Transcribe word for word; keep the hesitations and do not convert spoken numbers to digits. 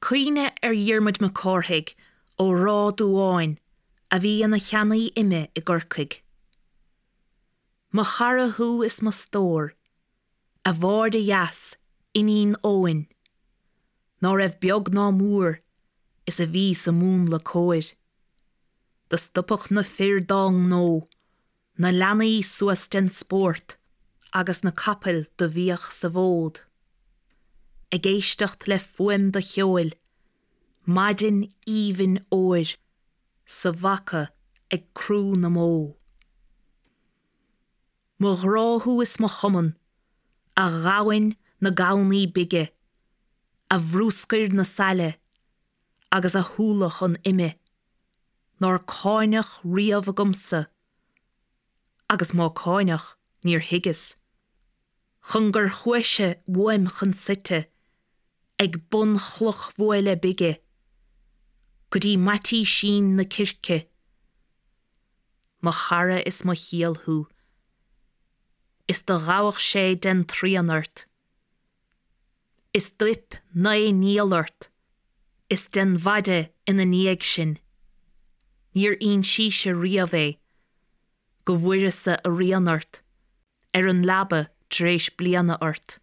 Cuimhne ar Dhiarmuid Mac Cárthaigh ó Ráth Dúáin a bhí ina cheannaí ime i gCorcaigh. Mo chara thú is mo stór, a Mháire dheas, iníon Eoghain, ná raibh beag ná mór is a bhí sa múnla cóir. Do stopadh na fir dá ngnó, na leanaí suas den spórt agus na capaill do bhíodh sa bhfód. Ag éisteacht le fuaim do cheoil, maidin aoibhinn óir sa bhaca ag crú na mbó. Mo ghrá thú is mo chumann, a ghamhain na gamhnaí bige, a bhrúscair na saile agus a shúlach an ime, nár cáineadh riamh agamsa, agus má cáineadh níor thuigeas, chun gur chuaise uaim chun suite ag bun chlochbhuaile bige, go dtí Maitísín na Circe. Mo chara is mo chiall thú, is do ghabhadh sé den tsrian ort, is d'fhuip naoi ngiall ort, is den mhaide ina ndiaidh sin. Níor ínsís-se riamh é, go bhfuaireas-sa a rian ort, ar an leaba tar éis bliana ort.